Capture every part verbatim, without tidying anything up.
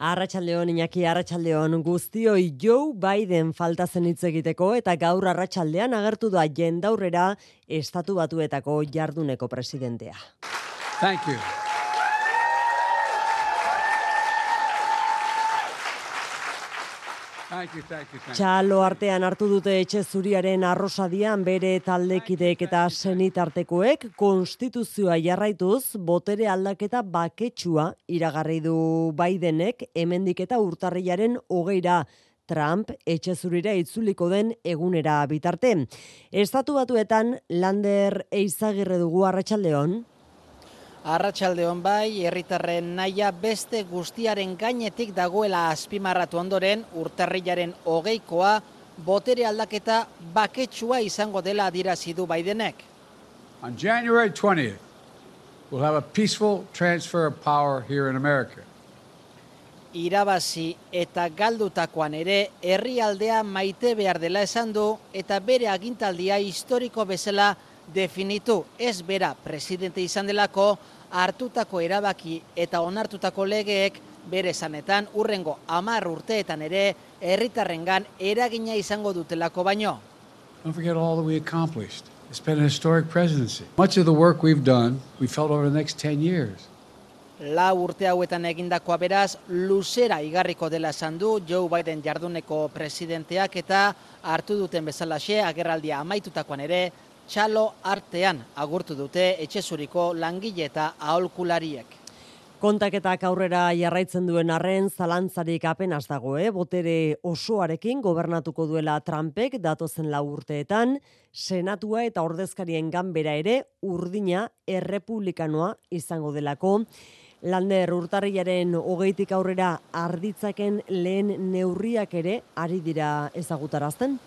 Arratsaldeon Iñaki, arratsaldeon guztioi. Joe Biden falta zen hitz egiteko eta gaur arratsaldean agertu da jendaurrera Estatu Batuetako jarduneko presidentea. Thank you. Thank you, thank you, thank you. Txalo artean hartu dute etxe zuriaren arrosadian bere taldekideek eta senitartekoek konstituzioa jarraituz botere aldaketa baketsua iragarri du Bidenek hemendik eta urtarrilaren hogeira Trump etxe zurira itzuliko den egunera bitarte. Estatu Batuetan Lander Eizagirre dugu, arratsaldeon. Arratsaldeon bai, herritarren nahia beste guztiaren gainetik dagoela azpimarratu ondoren, urtarrilaren hogeikoa botere aldaketa baketsua izango dela adierazi du Bidenek. On January twentieth, we'll have a peaceful transfer of power here in America. Irabazi eta galdutakoan ere herrialdea maite behar dela esan du eta bere agintaldia historiko bezala definitu, ez bera presidente izan delako, hartutako erabaki eta onartutako legeek bere esanetan urrengo hamar urteetan ere herritarrengan eragina izango dutelako baino. Don't forget all that we accomplished. It's been a historic presidency. Much of the work we've done, we felt over the next ten years. La urte hauetan egindakoa beraz, luzera igarriko dela esan du Joe Biden jarduneko presidenteak eta hartu duten bezalaxe agerraldia amaitutakoan ere, txalo artean agurtu dute etxezuriko langile eta aholkulariek. Kontaketak aurrera jarraitzen duen arren zalantzarik apenas dago, eh? Botere osoarekin gobernatuko duela Trumpek datozen lau urteetan, senatua eta ordezkarien ganbera ere urdina errepublikanoa izango delako. Lander, urtarrilaren hogeitik aurrera arditzaken lehen neurriak ere ari dira ezagutarazten?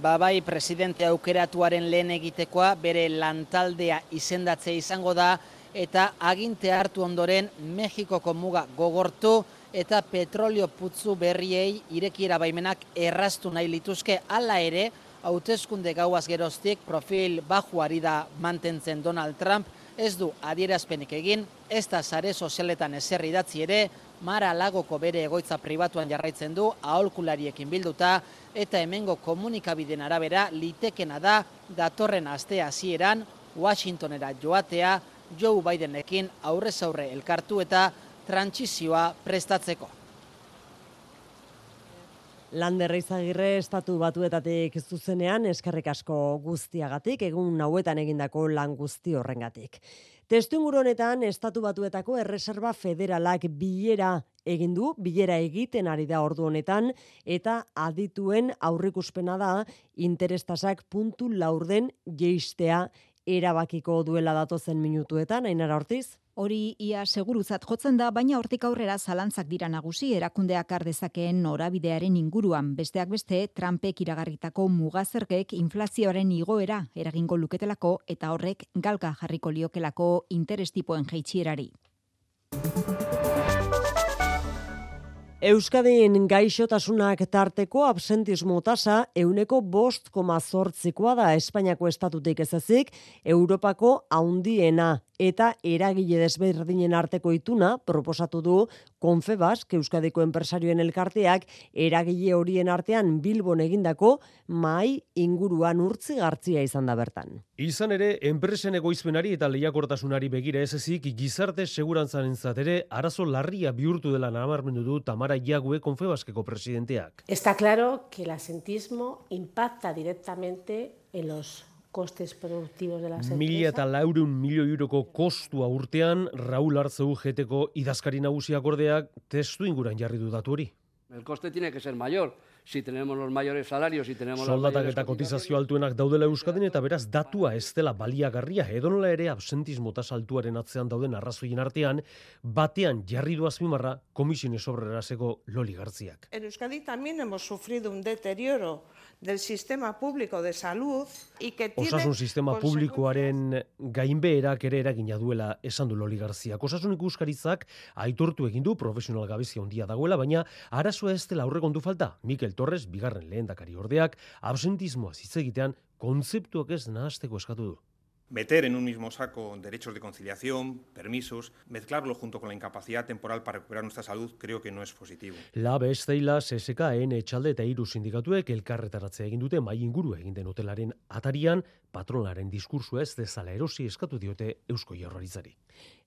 Ba bai, presidente aukeratuaren lehen egitekoa bere lantaldea izendatzea izango da eta aginte hartu ondoren Mexikoko muga gogortu eta petrolio putzu berriei irekiera baimenak erraztu nahi lituzke. Hala ere, hauteskunde gauaz geroztik profil bajuari da mantentzen Donald Trump, ez du adierazpenik egin, ez da sare sozialetan ezer idatzi ere, Mar-a-Lagoko bere egoitza pribatuan jarraitzen du, aholkulariekin bilduta, eta hemengo komunikabideen arabera litekena da datorren aste hasieran Washingtonera joatea Joe Bidenekin aurrez aurre elkartu eta trantsizioa prestatzeko. Lander Eizagirre, Estatu Batuetatik zuzenean eskerrik asko guztiagatik, egun hauetan egindako lan guzti horrengatik. Testuinguru honetan Estatu Batuetako Erreserba Federalak bilera egin du, bilera egiten ari da ordu honetan, eta adituen aurrikuspena da interestasak puntu laurden jeistea erabakiko duela datozen minutuetan. Ainara Ortiz? Hori ia seguruzat jotzen da, baina hortik aurrera zalantzak dira nagusi erakundeak har dezakeen norabidearen inguruan. Besteak beste, Trumpek iragarritako mugazergek inflazioaren igoera eragingo luketelako eta horrek galga jarriko liokelako interestipoen jaitsierari. Euskadin gaixotasunak tarteko absentismo tasa euneko bost koma zortzikoa da Espainiako estatutik ez ezik, Europako haundiena eta eragile desberdinen arteko ituna proposatu du Confebask, Euskadiko enpresarioen elkarteak, eragile horien artean Bilbon egindako mahai inguruan urtzi gartzia izan da bertan. Izan ere, enpresen egoizpenari eta lehiakortasunari begira ez ezik, gizarte segurantzanentzat ere arazo larria bihurtu dela nabarmendu du Tamara Iague, Confebaskeko presidenteak. Está claro que el absentismo impacta directamente en los costes productivos de las empresas. Mila eta laurehun milioi euroko kostua urtean, Raúl Artzeu Geteko idazkari nagusiak ordeak testu inguran jarri du datu hori. El coste tiene que ser mayor. Si tenemos los mayores salarios, si tenemos soldatak eta kotizazio altuenak daudela Euskadin eta beraz datua ez dela baliagarria, edonola ere absentismo tasa altuaren atzean dauden arrazoien artean, batean jarri du azpimarra komisiones obreraseko Loli Gartziak. En Euskadi también hemos sufrido un deterioro del sistema público de salud y que tiene Osasun sistema publikoaren gainbeherak ere eragina duela esan du Loli Garziak. Osasun ikuskaritzak aitortu egin du profesional gabezia handia dagoela, baina arazoa ez dela aurrekontu falta. Mikel Torres, bigarren lehendakari ordeak, absentismoa hitz egitean kontzeptuak ez nahasteko eskatu du. Meter en un mismo saco derechos de conciliación, permisos, mezclarlo junto con la incapacidad temporal para recuperar nuestra salud, creo que no es positivo. Lab, Esteila, C S K, N, Etxalde eta hiru sindikatuek elkarretaratzea egin dute mai inguru egin den hotelaren atarian, patronaren diskursoa ez dezala erosi eskatu diote Eusko Jaurlaritzari.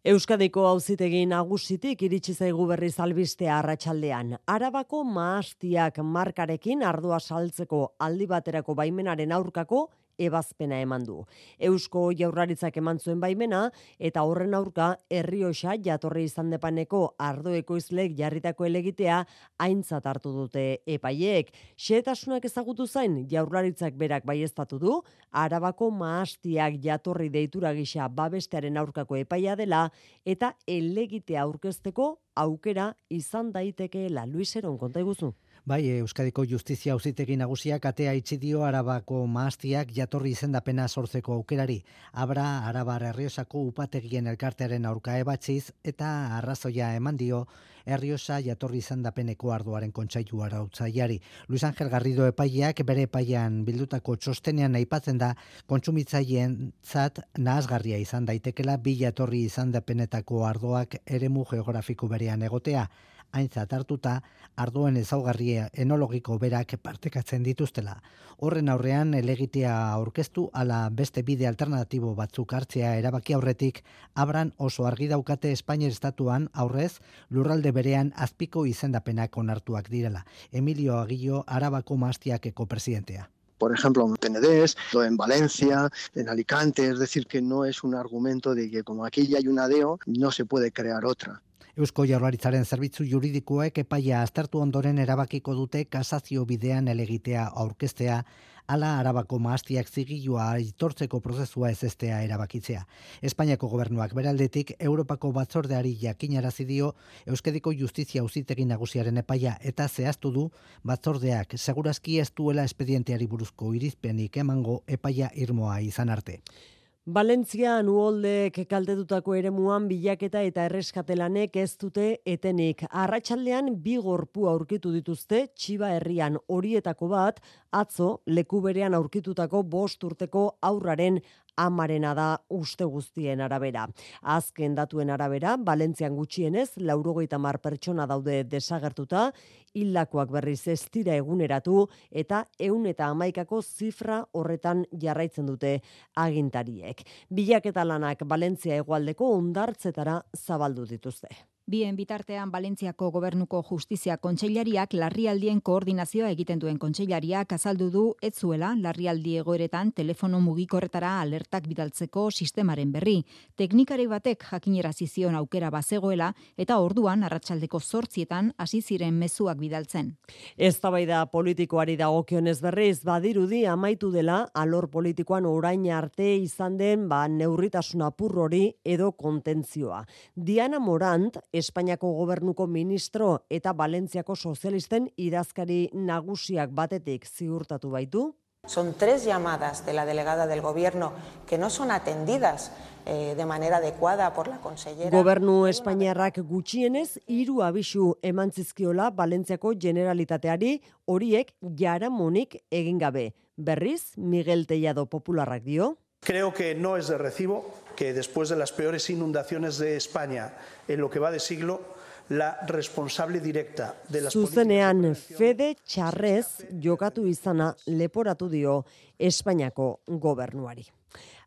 Euskadiko auzitegi nagusitik iritsi zaigu berriz albistea arratsaldean. Arabako mahastiak markarekin ardoa saltzeko aldi baterako baimenaren aurkako ebazpena eman du. Eusko Jaurlaritzak eman zuen baimena eta horren aurka Errioxa jatorri izan depaneko ardo ekoizleek jarritako helegitea aintzat hartu dute epaileek. Xehetasunak ezagutu zain Jaurlaritzak berak baieztatu du Arabako mahastiak jatorri deitura gisa babestearen aurkako epaia dela eta helegitea aurkezteko aukera izan daitekeela. Luis Eron, konta iguzu. Bai, Euskadiko Justizia Auzitegi Nagusiak atea itxi dio Arabako mahastiak jatorri izendapena sortzeko aukerari. Abra Arabar Erriosako upategien elkartearen aurka ebatziz eta arrazoia eman dio Erriosa jatorri izendapeneko ardoaren kontseilu arautzaileari. Luis Angel Garrido epaileak bere epaian bildutako txostenean aipatzen da kontsumitzaileenzat nahasgarria izan daitekela bi jatorri izendapenetako ardoak eremu geografiko berean egotea. Aintzat hartuta, ardoen ezaugarria enologiko berak partekatzen dituztela. Horren aurrean, helegitea aurkeztu ala beste bide alternatibo batzuk hartzea erabaki aurretik, Abran oso argi daukate Espainiar estatuan aurrez lurralde berean azpiko izendapenak onartuak direla. Emilio Aguillo, Arabako mahastiakeko presidentea. Por ejemplo, en Penedés, en Valencia, en Alicante, es decir, que no es un argumento de que como aquí ya hay una D E O, no se puede crear otra. Eusko Jaurlaritzaren zerbitzu juridikoek epaia aztertu ondoren erabakiko dute kasazio bidean helegitea aurkeztea, ala Arabako mahastiak zigilua aitortzeko prozesua ezestea erabakitzea. Espainiako gobernuak beraldetik Europako batzordeari jakinarazi dio Euskadiko Justizia Auzitegi Nagusiaren epaia eta zehaztu du batzordeak segurazki ez duela espedienteari buruzko irizpenik emango epaia irmoa izan arte. Valentzian uholdek kaltetutako eremuan bilaketa eta erreskatelanek ez dute etenik. Arratsaldean bi gorpu aurkitu dituzte Txiba herrian, horietako bat atzo leku berean aurkitutako bost urteko haurraren amarena da uste guztien arabera. Azken datuen arabera, Valentzian gutxienez laurogeita hamar pertsona daude desagertuta, hildakoak berriz ez dira eguneratu eta ehun eta hamaikako zifra horretan jarraitzen dute agintariek. Bilaketa lanak Valentzia hegoaldeko hondartzetara zabaldu dituzte. Bien bitartean Valentziako gobernuko justizia kontseilariak larrialdien koordinazioa egiten duen kontseilariak azaldu du ez zuela larrialdi egoeretan telefono mugikorretara alertak bidaltzeko sistemaren berri. Teknikari batek jakinerazi zion aukera bazegoela eta orduan arratsaldeko zortzietan hasi ziren mezuak bidaltzen. Eztabaida politikoari dagokionez berriz badirudi amaitu dela alor politikoan orain arte izan den ba neurritasun apur hori edo kontentzioa. Diana Morant Espainiako gobernuko ministro eta Valentziako sozialisten idazkari nagusiak batetik ziurtatu baitu. Son tres llamadas de la delegada del gobierno que no son atendidas eh, de manera adecuada por la consellera. Gobernu Espainiarrak gutxienez hiru abisu eman zizkiola Valentziako Generalitateari, horiek jaramonik egin gabe. Berriz, Miguel Tellado popularrak dio. Creo que no es de recibo que después de las peores inundaciones de España en lo que va de siglo, la responsable directa de las Zuzenean fede txarrez jokatu izana leporatu dio Espainiako gobernuari.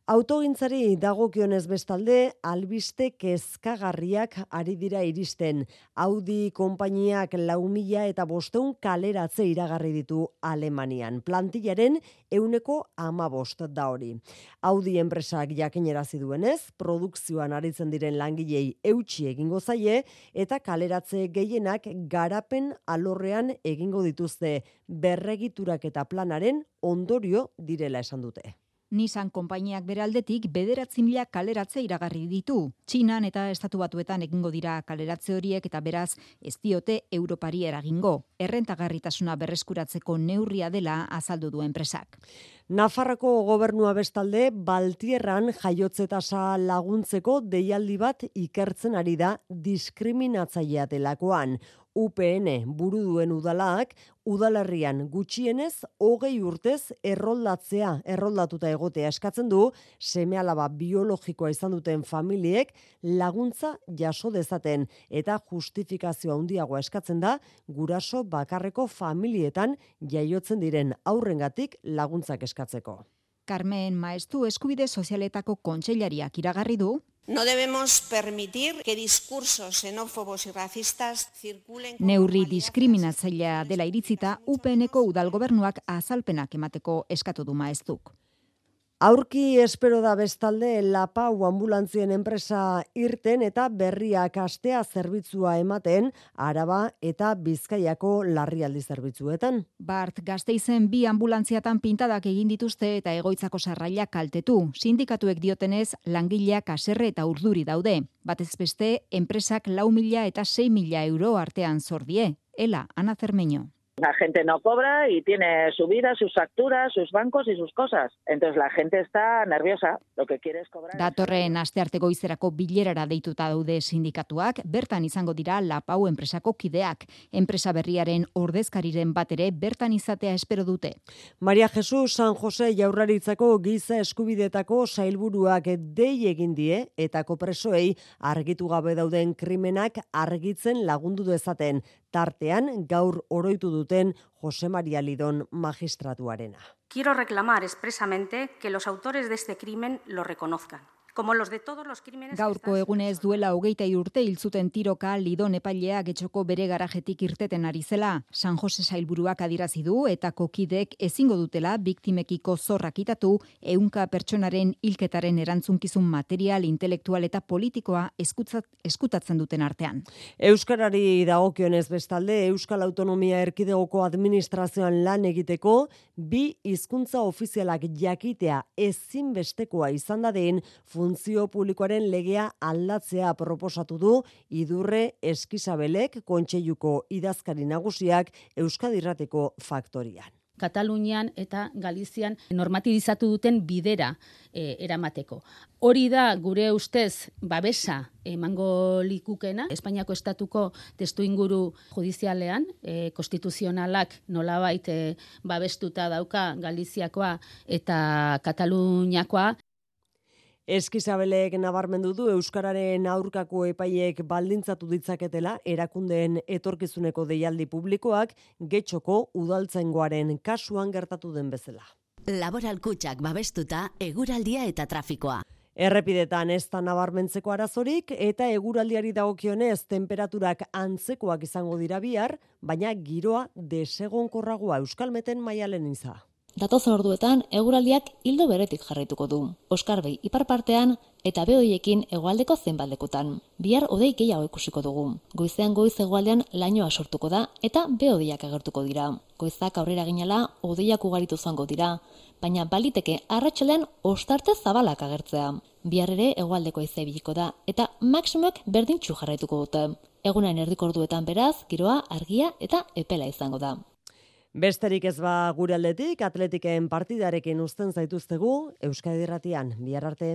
Autogintzari dagokionez bestalde, albiste kezkagarriak ari dira iristen. Audi konpainiak lau mila eta bosteun kaleratze iragarri ditu Alemanian. Plantillaren euneko hamabost da hori. Audi enpresak jakinerazi duenez, produkzioan aritzen diren langilei eutsi egingo zaie eta kaleratze gehienak garapen alorrean egingo dituzte berregiturak eta planaren ondorio direla esan dute. Nissan konpainiak bere aldetik bederatzi mila kaleratze iragarri ditu. Txinan eta Estatu Batuetan egingo dira kaleratze horiek eta beraz ez diote Europari eragingo. Errentagarritasuna berreskuratzeko neurria dela azaldu du enpresak. Nafarroko gobernua bestalde Baltierran jaiotze tasa laguntzeko deialdi bat ikertzen ari da diskriminatzailea delakoan. U P N buru duen udalak, udalerrian gutxienez hogei urtez erroldatzea, erroldatuta egotea eskatzen du, seme-alaba biologikoa izan duten familiek laguntza jaso dezaten eta justifikazio handiagoa eskatzen da guraso bakarreko familietan jaiotzen diren haurrengatik laguntzak eskatzeko. Carmen Maestu Eskubide Sozialetako kontseilariak iragarri du. No debemos permitir que discursos xenófobos y racistas circulen. Neurri diskriminatzailea dela iritzita, U P N-ko udalgobernuak azalpenak emateko eskatu du Maestuk. Aurki espero da bestalde Lapau ambulantzien enpresa irten eta berriak astea zerbitzua ematen Araba eta Bizkaiako larrialdi zerbitzuetan. Bart Gasteizen bi ambulantziatan pintadak egin dituzte eta egoitzako sarrailak kaltetu. Sindikatuek diotenez langileak haserre eta urduri daude. Batez beste enpresak lau mila eta sei mila euro artean zor die. Ela, Ana Cermeño. La gente no cobra y tiene su vida, sus facturas, sus bancos y sus cosas. Entonces la gente está nerviosa. Lo que quiere es cobrar. Datorren astearte goizerako bilerara deituta daude sindikatuak, bertan izango dira Lapau enpresako kideak. Enpresa berriaren ordezkariren bat ere bertan izatea espero dute. Maria Jesus San Jose Jaurlaritzako giza eskubidetako sailburuak dei egin die eta kopresoei argitu gabe dauden krimenak argitzen lagundu dezaten. Tartean gaur oroitu duten Jose Maria Lidon magistratuarena. Quiero reclamar expresamente que los autores de este crimen lo reconozcan. Como los de todos los crímenes. Gaurko egunez duela hogeita urte hil zuten tiroka Lidon epailea Getxoko bere garajetik irteten ari zela. San Jose sailburuak adierazi du eta kokidek ezingo dutela biktimekiko zorra kitatu, ehunka pertsonaren hilketaren erantzunkizun material, intelektual eta politikoa eskutzat, eskutatzen duten artean. Euskarari dagokionez bestalde, Euskal Autonomia Erkidegoko administrazioan lan egiteko bi hizkuntza ofizialak jakitea ezinbestekoa izan dadin funtzio publikoaren legea aldatzea proposatu du Idurre Eskizabelek kontseiluko idazkari nagusiak Euskadi Irrateko Faktorian. Katalunian eta Galizian normatibizatu duten bidera e, eramateko. Hori da gure ustez babesa emango likukena, Espainiako estatuko testuinguru judizialean, e, konstituzionalak nolabait e, babestuta dauka Galiziakoa eta Kataluniakoa. Eskizabelek nabarmendu du Euskararen aurkako epaiek baldintzatu ditzaketela erakundeen etorkizuneko deialdi publikoak Getxoko udaltzaingoaren kasuan gertatu den bezala. Laboral kutxak babestuta eguraldia eta trafikoa. Errepidetan ez da nabarmentzeko arazorik eta eguraldiari dagokionez temperaturak antzekoak izango dira bihar, baina giroa desegonkorragoa Euskalmeten Maialen Iza. Datozen orduetan eguraldiak hildo beretik jarraituko du. Oskarbei ipar partean eta behoiekin hegoaldeko zenbait lekutan. Bihar hodei gehiago ikusiko dugu. Goizean goiz hegoaldean lainoa sortuko da eta behodiak agertuko dira. Goizak aurrera ginela hodeiak ugaritu zango dira, baina baliteke arratsaldean ostarte zabalak agertzea. Bihar ere hegoaldeko haizea ibiliko da eta maximoek berdintsu jarraituko dute. Egunaren erdiko orduetan beraz, giroa argia eta epela izango da. Besterik ez ba gure aldetik, Atletiken partidarekin uzten zaituztegu, Euskadi Irratian, bihar arte.